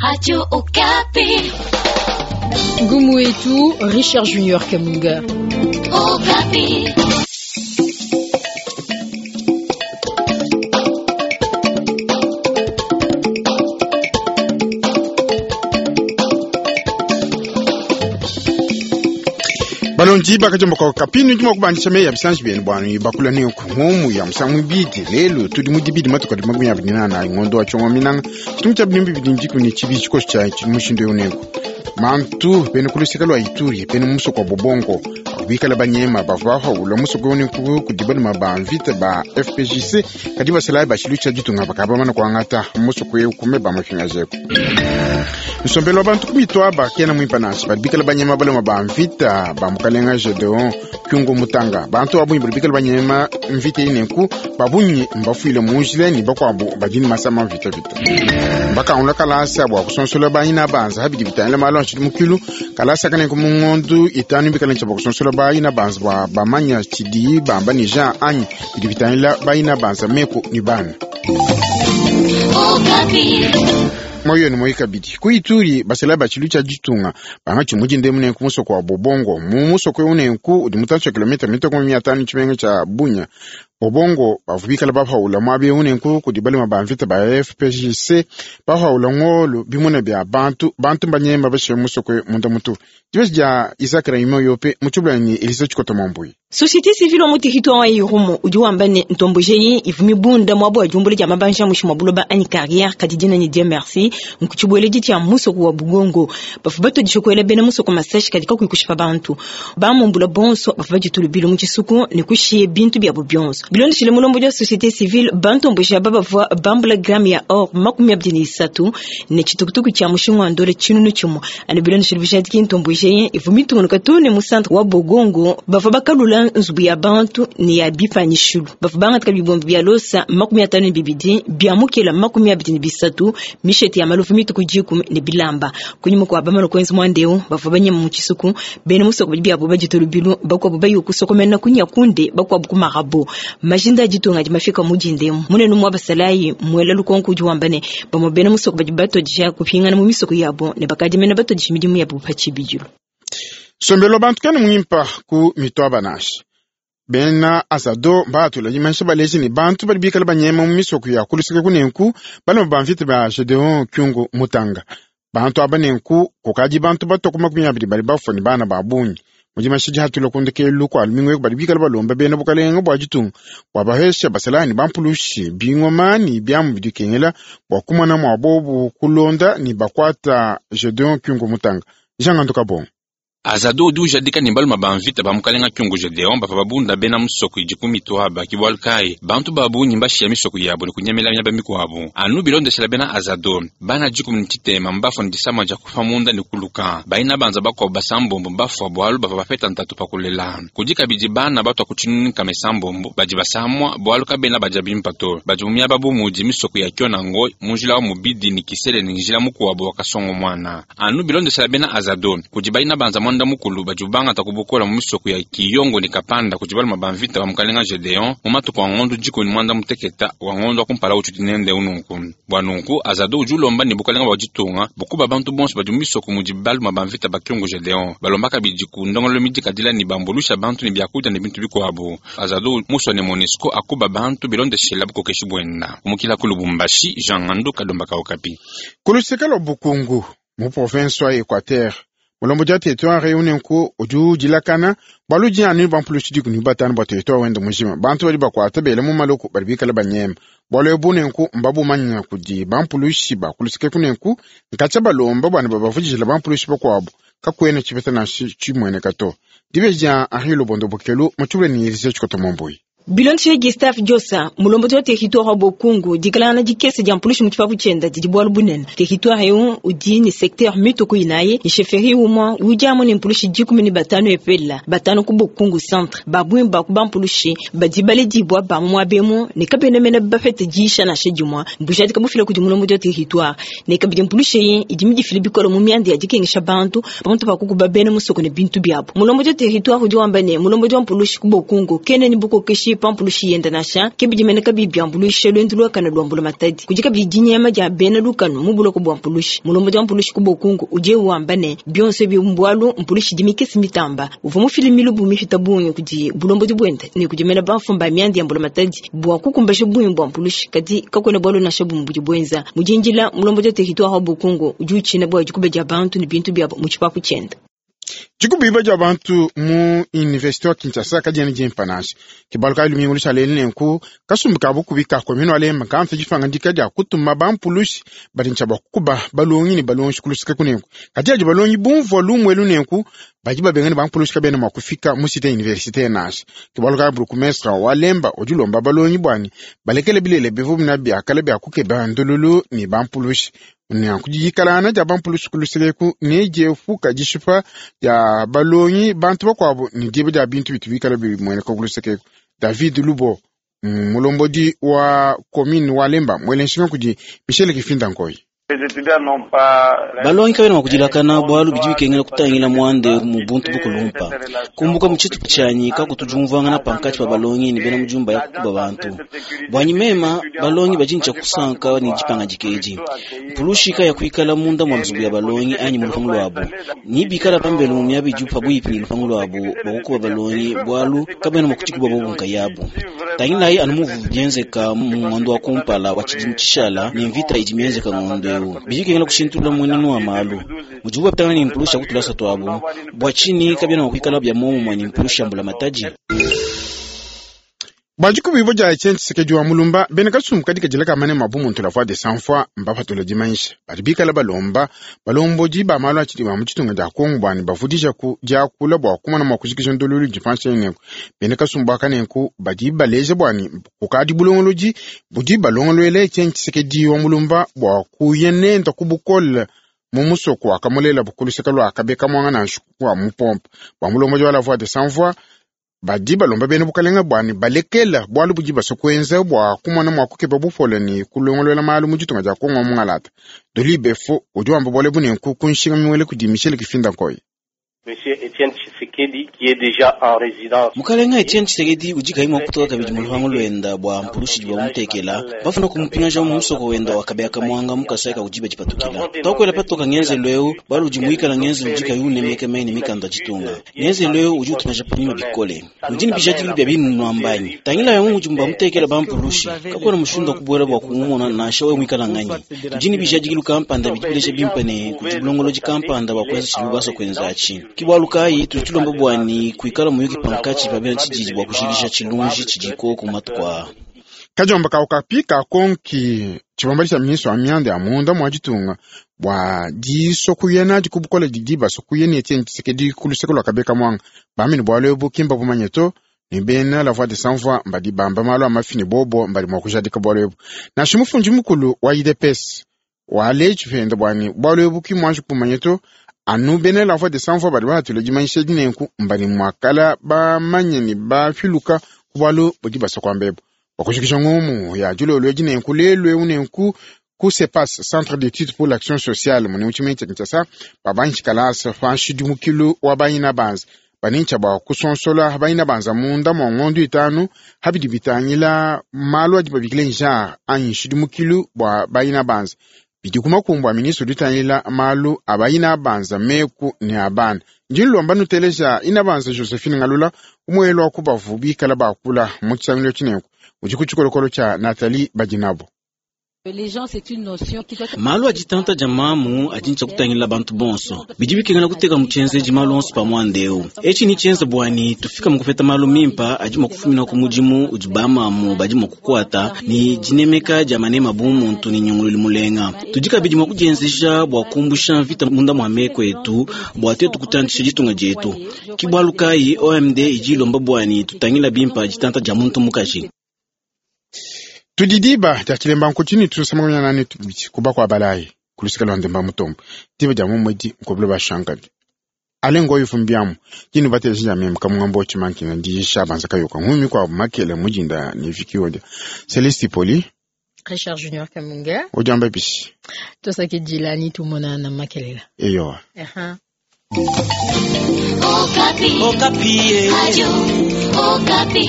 Radio Okapi. Ngumu yetu Richard Junior Kamunga. Okapi. Balonji bakajomboka kapinu ndimo kubandisha meya bisanji byenu bwanu bakula ne ngumu ya musangu bidi lelo tudi mu dibidi matuka di 28 ngondo wa chongo minanga chitungu cha bilimbi bidi ndiku ni chibi chikosi cha mushindo yoneko mantu bene kulusika lwa Ituri bene musoko wa Bobongo bikala banyema bava bahawula musoko yoneko kudi baluma ba mvita ba FPJC kadi basalayi bashilu cha ditunga bakaba mana kuangata musoko eu kume ba mafingajeko nsombelo wa bantu kumitwaba kena mwimpa nansi badi bikala banyema baluma ba mvita ba mukalenga Gedeon Kyungu Mutanga bantu babunyi badi bikala banyema mvita inenku babunyi mbafuile munjila ni bakuabu badi ni masama mvita vita bakangula kalasa bua kusonsola bayina banza habidi bitangila malu anshidi mukilu kalasa kanenku mungondu itanu bikala ntsha bua kusonsola bayina banza bua bamanya tshidi bamba ni Jean anyi bidi bitangila bayina banza meku ni bana Okapi. Moyo ni moyi kabidi ku Ituri basela batshilu tsha ditunga banga tshimudi nenku musoko wa Bobongo mu musoko eu nenku udi mutantshi wa kilomita mitoko 500 tshimenga tsha Bunya Bobongo bavu bikala bapaula muaba eu nenku kudi balema ba mvita ba FPJC bapaula ngolo bimuna bia bantu bantu mbanyema bashe musoko munda mutu dibesi dia Isaac Raymond Yope mutshibula ni Elisa Tshikota Mwambui. Société civile wa mu territoire wa Irumu udi wamba ne ntombojeyi ivumi bunda mwabo wa jumbule dia mabanja mushi mwa buloba anyi carrière kadi dina ni Dieu merci nkuchibueleji tshia musoko wa Bugongo bafu batodisha kuela bena musoko masashi kadi kakuikushipa bantu bamumbula bonso bafu baditulu bilo mu tshisuku ne kushiye bintu biabo bionso bilondeshile mulombo dia société civile bantomboji aba bavua bambula gramme ya or 23 ne tshitukutuku tshia mushinga wa ndole tshinunu tshimue ane bilondeshile bujadiki ntombojeyi ivumi tungunuka too ne mu centre wa Bogongo bavua bakalula nzubu ya bantu ne ya bipanyishilu bavua bangataka bibombi bia losa 52 bia mukela 23 mishete ya malufu mituku 10 ne bilamba kunyuma kwa bamala kwenza mwandeu bavua banyema mu tshisuku bena musoko badi biabo baditulu bilu bakuabu bayi kusokomena kunyakunde bakuabu kumarabo majinda aditunga adi mafika mudindemu munene mwa basalayi mwela lukonko udi wamba ne bamwe bena musoko badi batodisha kupingana mu misoko yabo ne bakadimena batodisha midimu yabo pa tshibidilu. Sombelo bantu kene mwimpa ku mitwaba nashi bena azado batula dimansha balezi ni bantu badi bikala banyema mu misoko ya kulusika kunenku balema ba mvita ba Gedeon Kyungu Mutanga bantu aba nenku kukadi bantu batoko 20 bali bafua ni bana ba bungi mudi mashidi hatula kundekelu kwa lumingu eku badi bikala balomba bena bukalenga bua ditunga bua bahesha basalani bampulushi bingoma ni biamu bidikengela bua kumona mua bobu kulonda ni bakuata Gedeon Kyungu Mutanga Jean Gandu Kabongo. Azado udi ujadika ne baluma ba mvita ba mukalenga Kyungu Gedeon bava babunda bena musoko idi ku mitwaba ki bualu kayi bantu ba bungi mbashiya misoko yabo ne kunyemela miaba mikuabu anu bilondeshela bena Azado bana 13 mbafua ne disama dia kufa munda ne kuluka baina banza bakuabu basambombo mbafua bualu bava bapeta ntatu pa kulela kudi kabidi bana batwa ku 96 badi basamua bualu kabena badia bimpa to badi mu miaba bu mudi misoko ya Kionango mu njila wa mubidi ne Kisele ne njila mukuabu wa Kasongo mwana anu bilondeshela bena Azado kudi baina banza mwanda mukulu badi bangata kubukola mu misoko ya Kiyongo ne Kapanda kudi baluma ba mvita ba mukalenga Gedeon mu matuku a ngondo 16 wa ngondo wa kumpala utudi nende ununku bua nunku Azado udi ulomba ne bukalenga bua ditunga bukuba bantu bonso badi mu misoko mudi baluma ba mvita ba Kyungu Gedeon balomba kabidi ku ndongolo midikadila ne bambulusha bantu ne biakudia ne bintu bikuabu Azado musua ne MONUSCO akuba bantu bilondeshela bukokeshi buenda umukila ku Lubumbashi Jean Ngandu Kalomba Kaokapi. Kulusika lua Bukungu mu province wa Equateur mulombo dia territoire unenku udi udilakana bualu anu bampulushi 15 bua territoire wenda mujima bantu badi bakuata bela mu maloko badi bikala banyema bualu ebu nenku mbabumanya kudi bampulushi bakulusika kunenku nkatshia balomba bwana babavudijila bampulushi bakuabu kakuena tshipeta nansha tshimueneka to dibeji dia Henri Lubondo Bokelu mutshibule ni Elise Tshikota Mwambui. Bilondeshile Gustave Diosa mulombodi wa territoire wa Bokungu dikalangana dikese dia mpulushi mu tshipapu tshienda didi bualu bunene territoire eu udi ne secteur mituku inayi ne chefferie umue udi amu ne mpulushi 15 epela 5 ku Bokungu centre babungi ba ku bampulushi badi baledibua ba mu muaba emu ne kabena mene bapete disha nansha dimue mbujadika bufila kudi mulombodi wa territoire ne kabidi mpulushi eyi idi midifile bikole mu mianda ya dikengesha bantu pamutu pa kukuba bena musoko ne bintu biabu mulombodi wa territoire udi wamba ne mulombodi wa mpulushi ku Bokungu kena ne bukokeshi. pa mpulushi yenda nansha ke bidi mene kabiyi biambuluisha luendu luakane lua mbulamatadi. Kudi kabidi dinyema dia bena lukanu mu buloko bua mpulushi. Mulombodi wa mpulushi ku Bokungu udi wamba ne bionso ebi mbualu mpulushi idi mikese mitamba. Uvua mufile milubu mipita bungi kudi bulombodi buende ne kudi mena bamfumu ba mianda ya mbulamatadi bua kukumbasha bungi bua mpulushi, kadi kakuena bualu nansha bumue budi buenza. Mu dindila, mulombodi wa territoire wa Bokungu udi utshina bua dikuba dia bantu ne bintu biabo mu tshipapu tshiende. Dikubiba dia bantu mu universite wa Kinshasa kadiena dimpa nansha. Ke bualu kayi lumingu lushala elu nenku kasumbu ka bukubi ka commune wa Lemba kamfa dipangadika dia kutuma bampulushi badi ntshia bua kukuba balongi ne balongeshi ku luseke kunenku. Kadi adi balongi bumvua lumu elu nenku badi babenga ne bampulushi kabena mua kufika mu cite universitaire nansha. Ke bualu kayi bourgmestre wa Lemba udi ulomba balongi buani balekele bilele bivua bina bia kale bia kukeba ndululu ne bampulushi. Nanku diyikalangana dia bampulushi ku luseke eku ne diepuka dishipa dia balongi bantu bakuabu ne diba dia bintu bitu bikala bimueneka ku luseke eku. David Lubo, mulombodi wa commune wa Lemba, muele nshinga kudi Michel Kifinda Nkoyi. Balongi kabena mua kudilakana bualu bidi bikengela kutangila muanda eu mu buntu bukulumpa. Kumbuka mu tshitupa tshianyi kakutu diumvuangana pankatshi pa balongi ne bena mujumba ya kukuba bantu. Buanyi mema, balongi badi ne tshia kusanka ne dipangadika edi. Mpulushi kayakuikala munda mua nzubu ya balongi anyi mu lupangu luabu. Ni bikala pambelu mu miaba idi pabuipi ne lupangu luabu bua kukuba balongi bualu kabena mua kudikuba bobu nkayabu. Tangilayi anu muvu bienzeka mu ngondo wa kumpala wa tshidimu tshishala ne mvita idi mienzeka ngondo eu. Bidi bikengela kushintulula mmuenenu wa malu. Mudibu bapetangana ne mpulushi ya ku tulasa tuabu, bua tshinyi kabiena mua kuikala bia muomumue ne mpulushi ya mbulamatadi? Bua dikubibua dia Etienne Tshisekedi wa Mulumba, bena kasumbu kadi kadila ka manema a bumuntu la Voix des Sans Voix mbapatula dimanyisha. Badi bikala balomba balombodi ba malu a tshidi ba mu ditunga dia Kongo bua ne bavudijaku diakula bua kumona mua kujikija ndululu idi panshi nenku. Bena kasumbu aka nenku badi baleja bua ne kukadi bulongolodi budi balongoluela Etienne Tshisekedi wa Mulumba bua kuya nenda ku bukole mu musoko wakamulelabu ku luseke lua Kabeka Mwanga nansha wa mupompa. Bua mulombodi wa la Voix des Sans Voix, badi balomba bena bukalenga bua ne balekela bualu budi basue kuenza bua kumona mua kukeba bupole ne kulongolola malu mu ditunga dia Kongo wa mungalata. Doli Befo udi wamba bualu ebu nenku ku nshinga miwele kudi Michel Kifinda Nkoyi. Monsieur Etienne Tshisekedi qui est déjà en résidence. Mukalenga Etienne Tshisekedi udi kayi mua kutoka kabidi mu lupangu luenda bua mpulushi idi bamutekela, bafuna kumupingaja mu musoko wenda wa Kabeya Kamwanga mu Kasai ka kudiba dipatukila. Twakuela patoka ngenzelu eu bualu udi muikala ngenzelu udi kayi unemeka meyi ne mikanda ya ditunga. Ngenzelu eu udi utupingaja panyima bikole. Nudi ne bijadiki bia binunu ambanyi. Tangilayi amu mudi bamutekela bampulushi, kakuena mushindu wa kubuela bua kumumona nansha wewe muikala nganyi. Tudi ne bijadikilu kampanda bidi bileja bimpe ne kudi bulongolodi kampanda bua kuenza tshidibu basua kuenza atshi. Ke bualu kayi tudi tulomba bua ne kuikala muyuki pankatshi pa bena tshididi bua kujikija tshilunji tshidi koku matuku aa. Kadiomba ka Okapi kakonki tshibambalu tshia ministre wa mianda ya munda mua ditunga bua disua kuya nadi ku bukole didi basua kuya ne Etienne Tshisekedi ku luseke lua Kabeka Mwanga. Bambi ne bualu ebu ki mbabumanye to, ne bena la Voix des Sans Voix mbadi bamba malu a mafi ne bobo mbadi mua kujadika bualu ebu. Nansha mufundi mukulu wa UDPS waleji pende bua ne bualu ebu ki muanji kumanya to, anu bena la Voix des Sans Voix badi bahatula dimanyisha edi nenku mbadi muakala bamanye ne bapiluka ku bualu budi basua kuamba ebu. Bua kujikija ngumu ya dilolo edi nenku lelu eu nenku ku CEPAS, Centre d'études pour l'action sociale, mune mu tshimenga tshia Kinshasa, babangi kalasa pa nshidimukilu wa bayina banza banintsha bua kusonsola bayina banza munda mua ngondo itanu habidi bitangila malu adi babikile genre anyi nshidimukilu bua bayina banza bidi ku makumbu a ministre udi utangila malu a bayina banza meku ne a bana. Ndi nlomba nuteleja ina banza Josephine Ngalula umuelo wa kubavu bikala bakula mu tshisangilu tshinenku udi ku tshikolokolo tshia Nathalie Badinabo. Malu a ditanta dia mamu adi ntshia kutangila bantu bonso. Bidi bikengela kuteka mu tshienzeji malu onso pa muanda eu. Etshi ni tshienza buani tufika mu kupeta malu mimpa adi mua kufumina ku mudimu udi bamamu badi mua kukuata ne dinemeka dia manema bu muntu ne nyungululu mulenga. Tudi kabidi mua kudienzeja bua kumbusha mvita munda mua meku etu bua tuetu kutantshisha ditunga dietu. Ke bualu kayi OMD idi ilomba buani tutangila bimpa ditanta dia muntu mukaji. Tudi diba dia tshilemba nkutshini tusamangana nani kuba kwa balayi kulusika lwa ndemba mutombo diba dia mumwedi nkobelo bashankadi ale ngoyo fumbiamu jinu batele ja mem kamungambo chimankina ndi shabanza kayoka ngumi kwa makele mujinda ni vikiwa dia Celeste Poli Richard Junior Kamunga ojamba bisi tosaki jilani tumona na makelela eyo. Okapi. Okapi. Radio Okapi.